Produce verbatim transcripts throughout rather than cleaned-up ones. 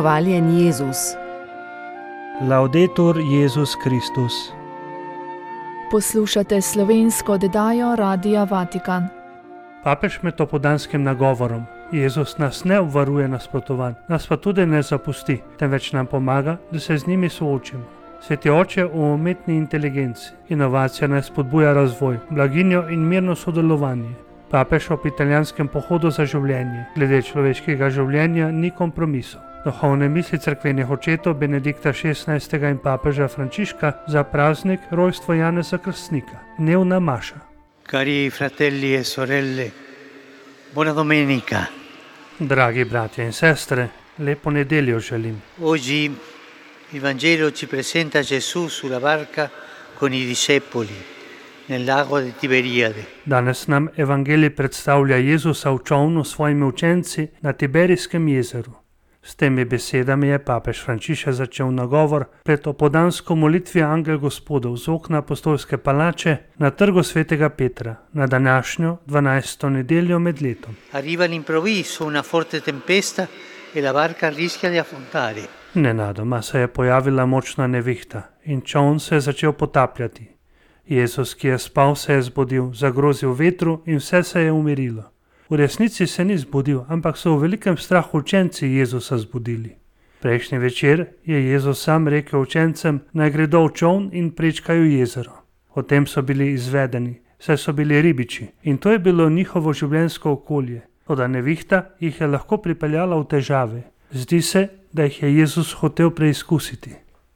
Hvaljen Jezus. Laudetur Jezus Kristus. Poslušate slovensko oddajo Radia Vatikan. Papež med opodanskim nagovorom: Jezus nas ne obvaruje nasprotovanj, nas pa tudi ne zapusti, temveč nam pomaga, da se z njimi soočimo. Sveti oče o umetni inteligenci. Inovacija naj spodbuja razvoj, blaginjo in mirno sodelovanje. Papež ob italijanskem pohodu za življenje. Glede človeškega življenja ni kompromisov. Duhovne misli cerkvenih očetov Benedikta šestnajstega in papeža Frančiška za praznik rojstva Janeza Krstnika. Dnevna maša. Cari fratelli e sorelle, buona domenica. Dragi bratje in sestre, lepo nedeljo želim. Oggi il Vangelo ci presenta Gesù sulla barca con i discepoli nel lago di Tiberiade. Danes nam evangelij predstavlja Jezusa v čolnu s svojimi učenci na Tiberijskem jezeru. S temi besedami je papež Frančišek začel nagovor pred opodansko molitvijo Angel Gospodov z okna apostolske palače na trgu svetega Petra na današnjo dvanajsto nedeljo med letom. Arriva all'improvviso una forte tempesta e la barca rischia di affondare. Nenadoma se je pojavila močna nevihta in čoln se je začel potapljati. Jezus, ki je spal, se je zbudil, zagrozil vetru in vse se je umirilo. V resnici se ni zbudil, ampak so v velikem strahu učenci Jezusa zbudili. Prejšnji večer je Jezus sam rekel učencem, naj gredo v čoln in prečkajo jezero. O tem so bili izvedeni, saj so bili ribiči in to je bilo njihovo življenjsko okolje. Toda nevihta jih je lahko pripeljala v težave. Zdi se, da jih je Jezus hotel preizkusiti.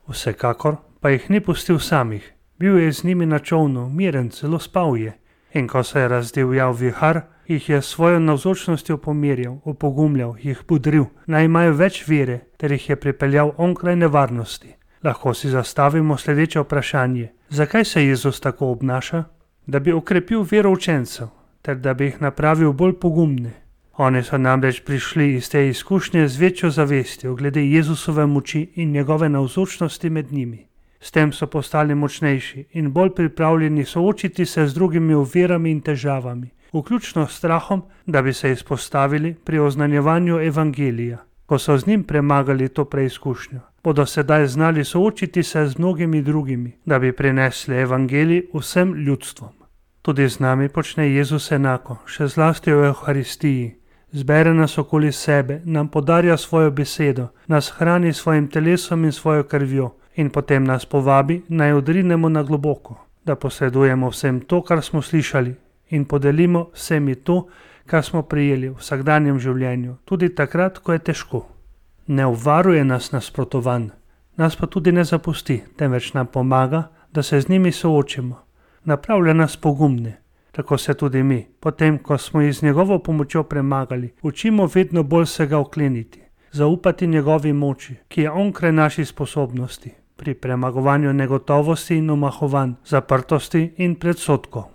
Vsekakor pa jih ni pustil samih. Bil je z njimi na čolnu, miren, celo spal je. In ko se je razdivjal vihar, jih je s svojo navzočnostjo pomirjal, opogumljal, jih budril, naj imajo več vere, ter jih je pripeljal onkraj nevarnosti. Lahko si zastavimo sledeče vprašanje: zakaj se Jezus tako obnaša? Da bi okrepil vero učencev, ter da bi jih napravil bolj pogumne. Oni so namreč prišli iz te izkušnje z večjo zavestjo glede Jezusove moči in njegove navzočnosti med njimi. S tem so postali močnejši in bolj pripravljeni soočiti se z drugimi ovirami in težavami, vključno s strahom, da bi se izpostavili pri oznanjevanju evangelija. Ko so z njim premagali to preizkušnjo, bodo sedaj znali soočiti se z mnogimi drugimi, da bi prinesli evangelij vsem ljudstvom. Tudi z nami počne Jezus enako, še zlasti v Evharistiji. Zbere nas okoli sebe, nam podarja svojo besedo, nas hrani s svojim telesom in svojo krvjo in potem nas povabi, naj odrinemo na globoko, da posredujemo vsem to, kar smo slišali in podelimo vsemi to, kar smo prijeli v vsakdanjem življenju, tudi takrat, ko je težko. Ne obvaruje nas nasprotovanj, nas pa tudi ne zapusti, temveč nam pomaga, da se z njimi soočimo. Napravlja nas pogumne. Tako se tudi mi, potem ko smo jih z njegovo pomočjo premagali, učimo vedno bolj se ga okleniti, zaupati njegovi moči, ki je onkraj naših sposobnosti, pri premagovanju negotovosti in omahovanj, zaprtosti in predsodkov.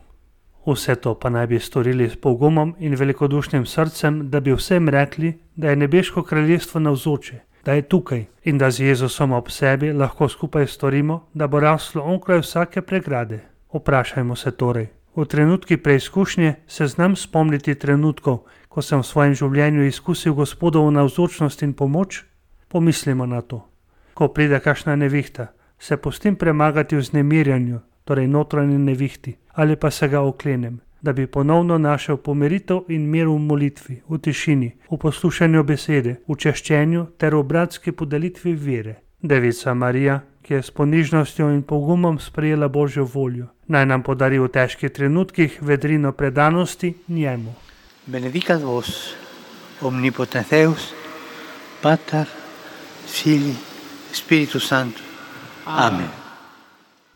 Vse to pa naj bi storili s pogumom in velikodušnim srcem, da bi vsem rekli, da je nebeško kraljestvo navzoče, da je tukaj in da z Jezusom ob sebi lahko skupaj storimo, da bo raslo onkraj vsake pregrade. Vprašajmo se torej, v trenutki preizkušnje se znam spomniti trenutkov, ko sem v svojem življenju izkusil Gospodovo navzočnost in pomoč? Pomislimo na to. Ko pride kakšna nevihta, se pustim premagati v vznemirjanju, torej notranji nevihti, ali pa se ga oklenem, da bi ponovno našel pomiritev in mir v molitvi, v tišini, v poslušanju besede, v češčenju ter v bratski podelitvi vere. Devica Marija, ki je s ponižnostjo in pogumom sprejela Božjo voljo, naj nam podari v težkih trenutkih vedrino predanosti njemu. Benedicat vos, omnipotens Deus, Pater, Filii, Spiritus Sanctus. Amen.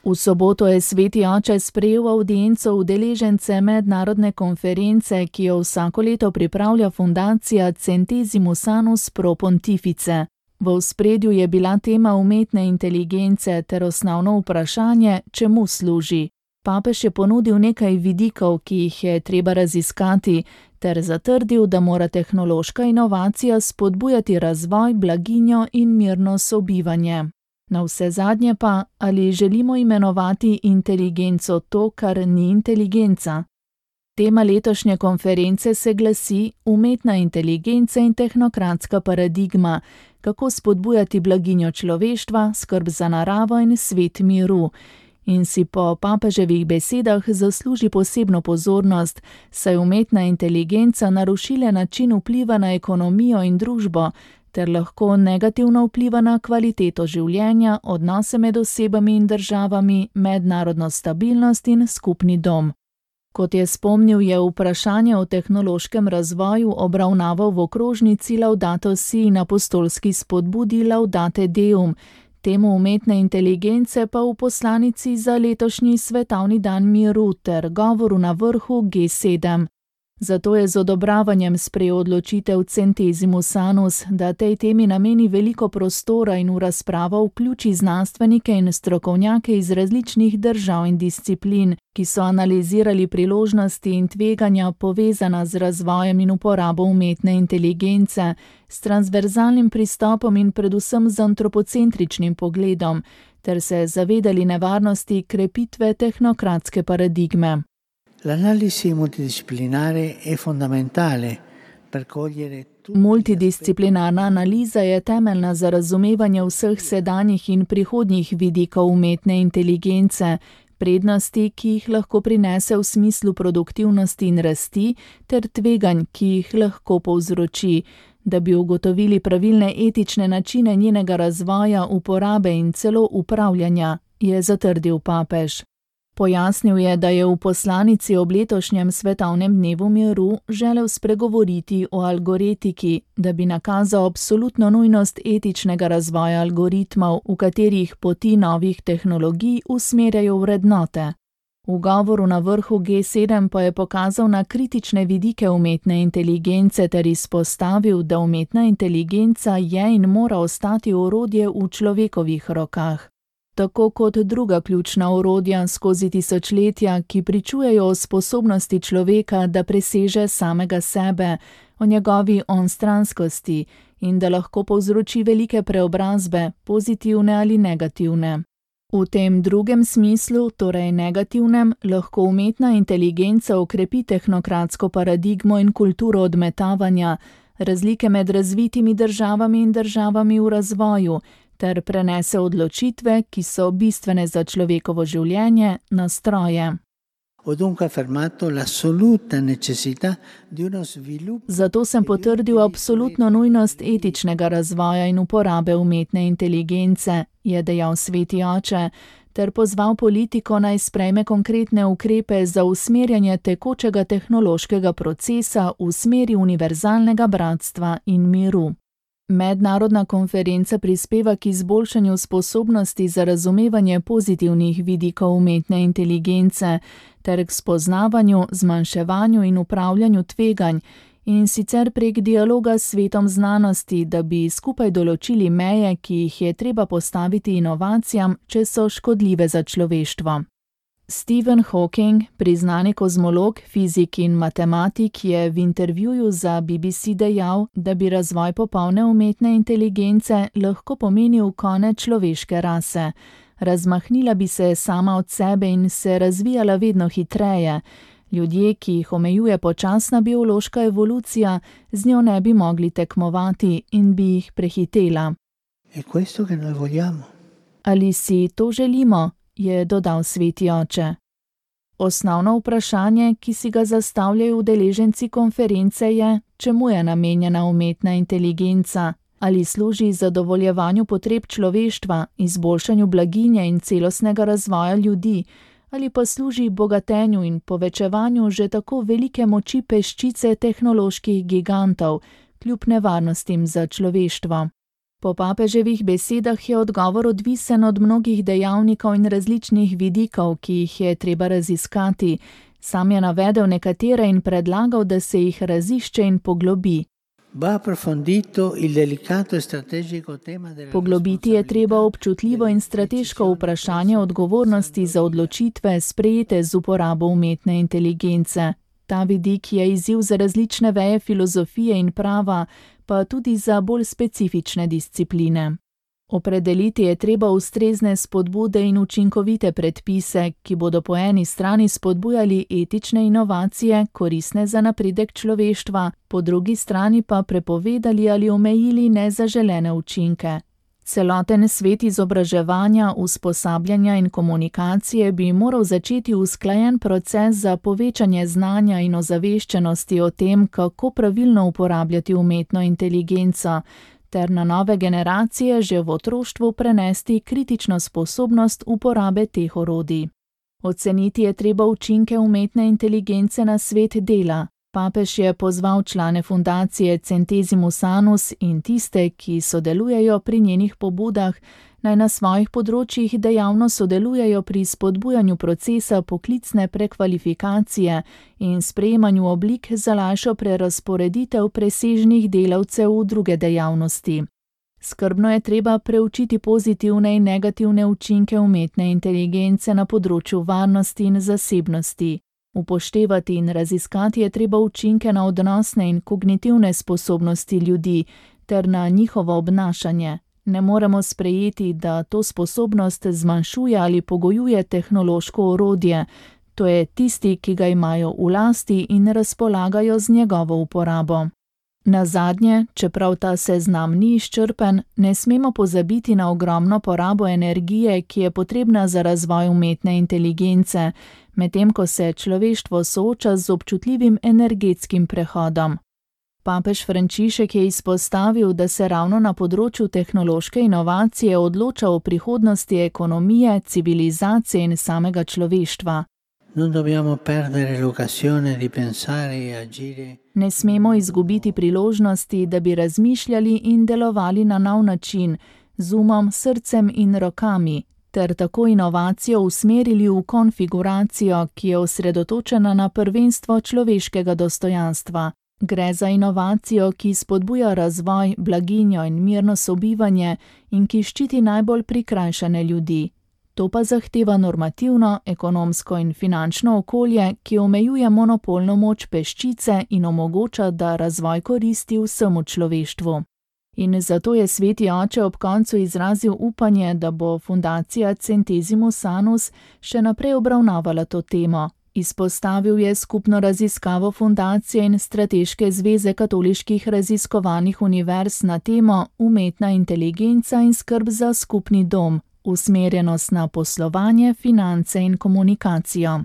V soboto je sveti oče sprejel avdienco udeležence mednarodne konference, ki jo vsako leto pripravlja fundacija Centesimus Annus Pro Pontifice. V ospredju je bila tema umetne inteligence ter osnovno vprašanje, čemu služi. Papež je ponudil nekaj vidikov, ki jih je treba raziskati, ter zatrdil, da mora tehnološka inovacija spodbujati razvoj, blaginjo in mirno sobivanje. Navsezadnje pa, ali želimo imenovati inteligenco to, kar ni inteligenca? Tema letošnje konference se glasi Umetna inteligenca in tehnokratska paradigma, kako spodbujati blaginjo človeštva, skrb za naravo in svet miru. In si po papeževih besedah zasluži posebno pozornost, saj umetna inteligenca narušila način vpliva na ekonomijo in družbo, ter lahko negativno vpliva na kvaliteto življenja, odnose med osebami in državami, mednarodno stabilnost in skupni dom. Kot je spomnil, je vprašanje o tehnološkem razvoju obravnaval v okrožnici Laudato Si in apostolski spodbudi Laudate Deum, temu umetne inteligence pa v poslanici za letošnji svetovni dan miru ter govoru na vrhu G sedem. Zato je z odobravanjem sprejel odločitev Centesimus Annus, da tej temi nameni veliko prostora in v razpravo vključi znanstvenike in strokovnjake iz različnih držav in disciplin, ki so analizirali priložnosti in tveganja povezana z razvojem in uporabo umetne inteligence, s transverzalnim pristopom in predvsem z antropocentričnim pogledom, ter se zavedali nevarnosti krepitve tehnokratske paradigme. L'analisi multidisciplinare è fondamentale per cogliere tutti. Multidisciplinarna analiza je temeljna za razumevanje vseh sedanjih in prihodnjih vidikov umetne inteligence, prednosti, ki jih lahko prinese v smislu produktivnosti in rasti, ter tveganj, ki jih lahko povzroči, da bi ugotovili pravilne etične načine njenega razvoja, uporabe in celo upravljanja, je zatrdil papež. Pojasnil je, da je v poslanici ob letošnjem svetovnem dnevu miru želel spregovoriti o algoretiki, da bi nakazal absolutno nujnost etičnega razvoja algoritmov, v katerih poti novih tehnologij usmerjajo vrednote. V govoru na vrhu G sedem pa je pokazal na kritične vidike umetne inteligence ter izpostavil, da umetna inteligenca je in mora ostati orodje v človekovih rokah. Tako kot druga ključna orodja skozi tisočletja, ki pričujejo o sposobnosti človeka, da preseže samega sebe, o njegovi onstranskosti in da lahko povzroči velike preobrazbe, pozitivne ali negativne. V tem drugem smislu, torej negativnem, lahko umetna inteligenca okrepi tehnokratsko paradigmo in kulturo odmetavanja, razlike med razvitimi državami in državami v razvoju, ter prenese odločitve, ki so bistvene za človekovo življenje, na stroje. Zato sem potrdil absolutno nujnost etičnega razvoja in uporabe umetne inteligence, je dejal sveti oče, ter pozval politiko naj sprejme konkretne ukrepe za usmerjanje tekočega tehnološkega procesa v smeri univerzalnega bratstva in miru. Mednarodna konferenca prispeva k izboljšanju sposobnosti za razumevanje pozitivnih vidikov umetne inteligence ter k spoznavanju, zmanjševanju in upravljanju tveganj, in sicer prek dialoga s svetom znanosti, da bi skupaj določili meje, ki jih je treba postaviti inovacijam, če so škodljive za človeštvo. Stephen Hawking, priznani kozmolog, fizik in matematik, je v intervjuju za B B C dejal, da bi razvoj popolne umetne inteligence lahko pomenil konec človeške rase. Razmahnila bi se sama od sebe in se razvijala vedno hitreje. Ljudje, ki jih omejuje počasna biološka evolucija, z njo ne bi mogli tekmovati in bi jih prehitela. Ali si to želimo? Je dodal sveti oče. Osnovno vprašanje, ki si ga zastavljajo udeleženci konference, je, čemu je namenjena umetna inteligenca, ali služi zadovoljevanju potreb človeštva, izboljšanju blaginje in celostnega razvoja ljudi, ali pa služi bogatenju in povečevanju že tako velike moči peščice tehnoloških gigantov, kljub nevarnostim za človeštvo. Po papeževih besedah je odgovor odvisen od mnogih dejavnikov in različnih vidikov, ki jih je treba raziskati. Sam je navedel nekatere in predlagal, da se jih razišče in poglobi. Poglobiti je treba občutljivo in strateško vprašanje odgovornosti za odločitve, sprejete z uporabo umetne inteligence. Ta vidik je izziv za različne veje filozofije in prava, pa tudi za bolj specifične discipline. Opredeliti je treba ustrezne spodbude in učinkovite predpise, ki bodo po eni strani spodbujali etične inovacije, koristne za napredek človeštva, po drugi strani pa prepovedali ali omejili nezaželene učinke. Celoten svet izobraževanja, usposabljanja in komunikacije bi moral začeti usklajen proces za povečanje znanja in ozaveščenosti o tem, kako pravilno uporabljati umetno inteligenco, ter na nove generacije že v otroštvu prenesti kritično sposobnost uporabe teh orodij. Oceniti je treba učinke umetne inteligence na svet dela. Papež je pozval člane fundacije Centesimus Annus in tiste, ki sodelujejo pri njenih pobudah, naj na svojih področjih dejavno sodelujejo pri spodbujanju procesa poklicne prekvalifikacije in sprejemanju oblik za lažjo prerazporeditev presežnih delavcev v druge dejavnosti. Skrbno je treba preučiti pozitivne in negativne učinke umetne inteligence na področju varnosti in zasebnosti. Upoštevati in raziskati je treba učinke na odnosne in kognitivne sposobnosti ljudi ter na njihovo obnašanje. Ne moremo sprejeti, da to sposobnost zmanjšuje ali pogojuje tehnološko orodje, to je tisti, ki ga imajo v lasti in razpolagajo z njegovo uporabo. Nazadnje, čeprav ta seznam ni izčrpen, ne smemo pozabiti na ogromno porabo energije, ki je potrebna za razvoj umetne inteligence, medtem ko se človeštvo sooča z občutljivim energetskim prehodom. Papež Frančišek je izpostavil, da se ravno na področju tehnološke inovacije odloča o prihodnosti ekonomije, civilizacije in samega človeštva. Ne smemo izgubiti priložnosti, da bi razmišljali in delovali na nov način, z umom, srcem in rokami, ter tako inovacijo usmerili v konfiguracijo, ki je osredotočena na prvenstvo človeškega dostojanstva. Gre za inovacijo, ki spodbuja razvoj, blaginjo in mirno sobivanje in ki ščiti najbolj prikrajšane ljudi. To pa zahteva normativno, ekonomsko in finančno okolje, ki omejuje monopolno moč peščice in omogoča, da razvoj koristi vsemu človeštvu. In zato je sveti oče ob koncu izrazil upanje, da bo fundacija Centesimus Annus še naprej obravnavala to temo. Izpostavil je skupno raziskavo fundacije in strateške zveze katoliških raziskovalnih univerz na temo umetna inteligenca in skrb za skupni dom, usmerjenost na poslovanje, finance in komunikacijo.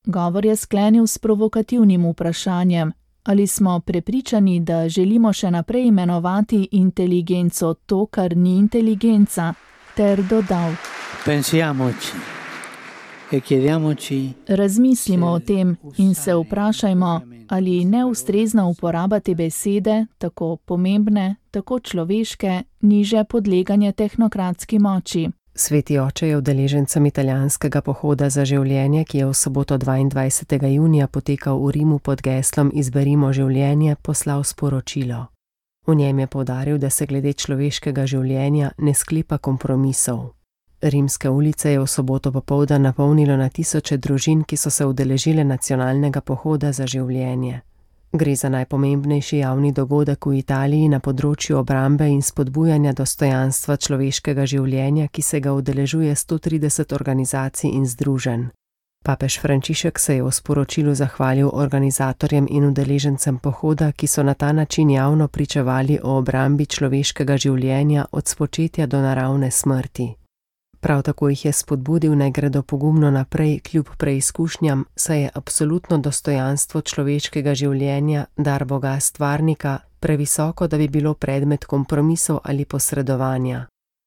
Govor je sklenil s provokativnim vprašanjem, ali smo prepričani, da želimo še naprej imenovati inteligenco to, kar ni inteligenca, ter dodal: Pensiamoci. Razmislimo o tem in se vprašajmo, ali neustrezna uporaba te besede, tako pomembne, tako človeške, ni že podleganje tehnokratski moči. Sveti oče je udeležencem italijanskega pohoda za življenje, ki je v soboto dvaindvajsetega junija potekal v Rimu pod geslom Izberimo življenje, poslal sporočilo. V njem je poudaril, da se glede človeškega življenja ne sklepa kompromisov. Rimske ulice je v soboto popoldan napolnilo na tisoče družin, ki so se udeležile nacionalnega pohoda za življenje. Gre za najpomembnejši javni dogodek v Italiji na področju obrambe in spodbujanja dostojanstva človeškega življenja, ki se ga udeležuje sto trideset organizacij in združenj. Papež Frančišek se je v sporočilu zahvalil organizatorjem in udeležencem pohoda, ki so na ta način javno pričevali o obrambi človeškega življenja od spočetja do naravne smrti. Prav tako jih je spodbudil, naj gredo pogumno naprej kljub preizkušnjam, saj je absolutno dostojanstvo človeškega življenja, dar Boga stvarnika, previsoko, da bi bilo predmet kompromisov ali posredovanja.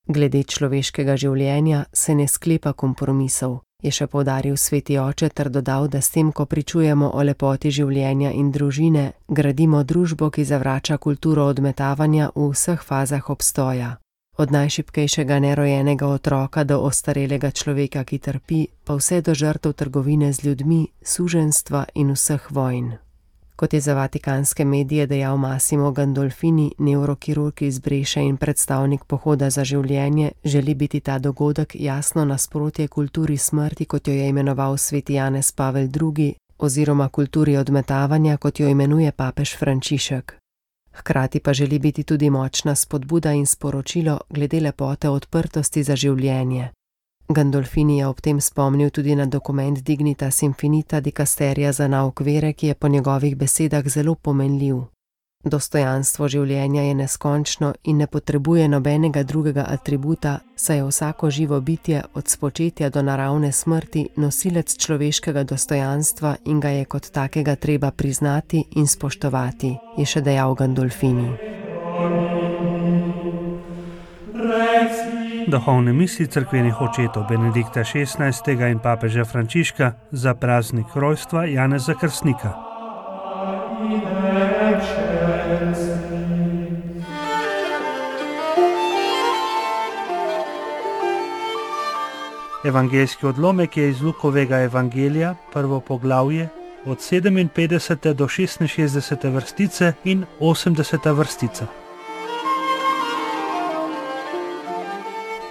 Glede človeškega življenja se ne sklepa kompromisov, je še poudaril sveti oče ter dodal, da s tem, ko pričujemo o lepoti življenja in družine, gradimo družbo, ki zavrača kulturo odmetavanja v vseh fazah obstoja. Od najšibkejšega nerojenega otroka do ostarelega človeka, ki trpi, pa vse do žrtev trgovine z ljudmi, suženjstva in vseh vojn. Kot je za vatikanske medije dejal Massimo Gandolfini, nevrokirurg iz Breše in predstavnik pohoda za življenje, želi biti ta dogodek jasno nasprotje kulturi smrti, kot jo je imenoval sveti Janez Pavel drugi, oziroma kulturi odmetavanja, kot jo imenuje papež Frančišek. Hkrati pa želi biti tudi močna spodbuda in sporočilo glede lepote odprtosti za življenje. Gandolfini je ob tem spomnil tudi na dokument Dignitas Infinita dikasterija za nauk vere, ki je po njegovih besedah zelo pomenljiv. Dostojanstvo življenja je neskončno in ne potrebuje nobenega drugega atributa, saj je vsako živo bitje od spočetja do naravne smrti nosilec človeškega dostojanstva in ga je kot takega treba priznati in spoštovati, je še dejal Gandolfini. Duhovne misli cerkvenih očetov Benedikta šestnajstega in papeža Frančiška za praznik rojstva Janeza Krstnika. Evangeljski odlomek je iz Lukovega evangelija, prvo poglavje, od sedeminpetdesete do šestinšestdesete vrstice in osemdeseta vrstica.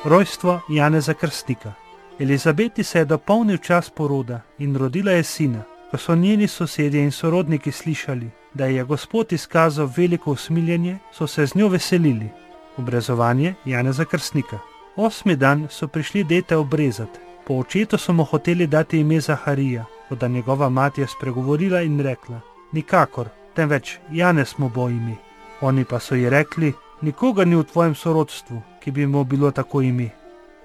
Rojstvo Janeza Krstnika. Elizabeti se je dopolnil čas poroda in rodila je sina. Ko so njeni sosedje in sorodniki slišali, da je Gospod izkazal veliko usmiljenje, so se z njo veselili. Obrezovanje Janeza Krstnika. Osmi dan so prišli dete obrezati. Po očetu so mu hoteli dati ime Zaharija, toda njegova mati je spregovorila in rekla: nikakor, temveč Janez mu bo ime. Oni pa so ji rekli: nikogar ni v tvojem sorodstvu, ki bi mu bilo tako ime.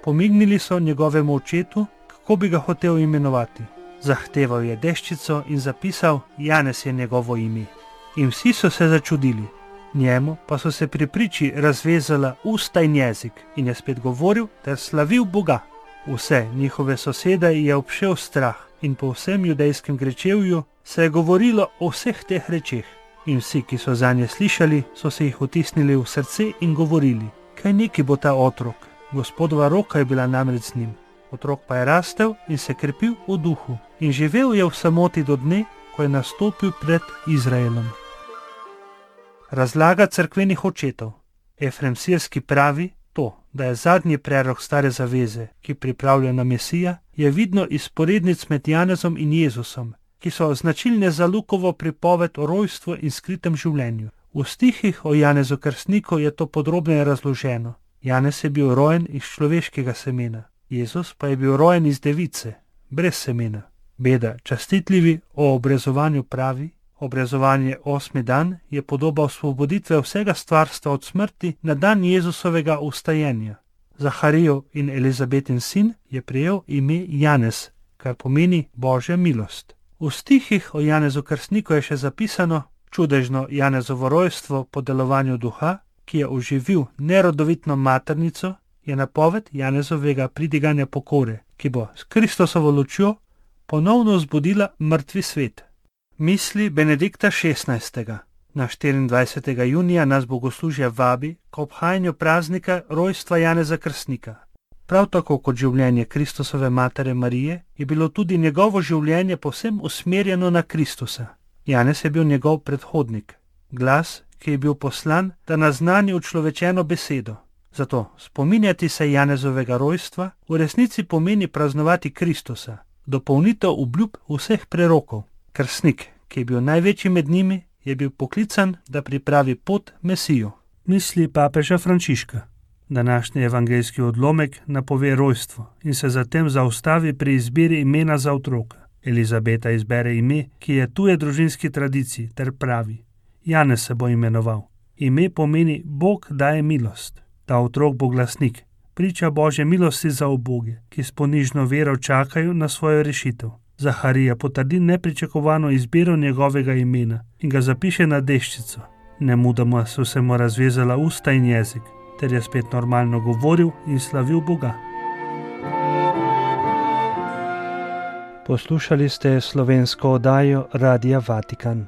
Pomignili so njegovemu očetu, kako bi ga hotel imenovati. Zahteval je deščico in zapisal: Janez je njegovo ime. In vsi so se začudili. Njemu pa so se pri priči razvezala usta in jezik in je spet govoril ter slavil Boga. Vse njihove sosede je obšel strah in po vsem judejskem grečevju se je govorilo o vseh teh rečeh. In vsi, ki so zanje slišali, so se jih vtisnili v srce in govorili: kaj neki bo ta otrok? Gospodova roka je bila namreč z njim. Otrok pa je rastel in se krepil v duhu in živel je v samoti do dne, ko je nastopil pred Izraelom. Razlaga cerkvenih očetov. Efrem Sirski pravi, to, da je zadnji prerok stare zaveze, ki pripravlja na Mesija, je vidno iz sporednic med Janezom in Jezusom, ki so značilne za Lukovo pripoved o rojstvu in skritem življenju. V stihih o Janezu Krstniku je to podrobneje razloženo. Janez je bil rojen iz človeškega semena, Jezus pa je bil rojen iz device, brez semena. Beda častitljivi o obrezovanju pravi: obrezovanje osmi dan je podoba osvoboditve vsega stvarstva od smrti na dan Jezusovega vstajenja. Zaharijev in Elizabetin sin je prejel ime Janez, kar pomeni Božja milost. V stihih o Janezu Krstniku je še zapisano: čudežno Janezovo rojstvo po delovanju duha, ki je oživil nerodovitno maternico, je napoved Janezovega pridiganja pokore, ki bo s Kristosovo lučjo ponovno vzbudila mrtvi svet. Misli Benedikta šestnajstega. Na štiriindvajsetega junija nas bogoslužje vabi k obhajanju praznika rojstva Janeza Krstnika. Prav tako kot življenje Kristusove matere Marije je bilo tudi njegovo življenje povsem usmerjeno na Kristusa. Janez je bil njegov predhodnik, glas, ki je bil poslan, da naznani učlovečeno besedo. Zato spominjati se Janezovega rojstva v resnici pomeni praznovati Kristusa, dopolnitev obljub vseh prerokov. Krstnik, ki je bil največji med njimi, je bil poklican, da pripravi pot Mesiju. Misli papeža Frančiška. Današnji evangeljski odlomek napove rojstvo in se zatem zaustavi pri izbiri imena za otroka. Elizabeta izbere ime, ki je tuje družinski tradiciji, ter pravi: Janez se bo imenoval. Ime pomeni Bog daje milost. Ta otrok bo glasnik, priča Božje milosti za uboge, ki s ponižno vero čakajo na svojo rešitev. Zaharija potrdi nepričakovano izbiro njegovega imena in ga zapiše na deščico. Nemudoma so se mu razvezala usta in jezik, ter je spet normalno govoril in slavil Boga. Poslušali ste slovensko oddajo Radia Vatikan.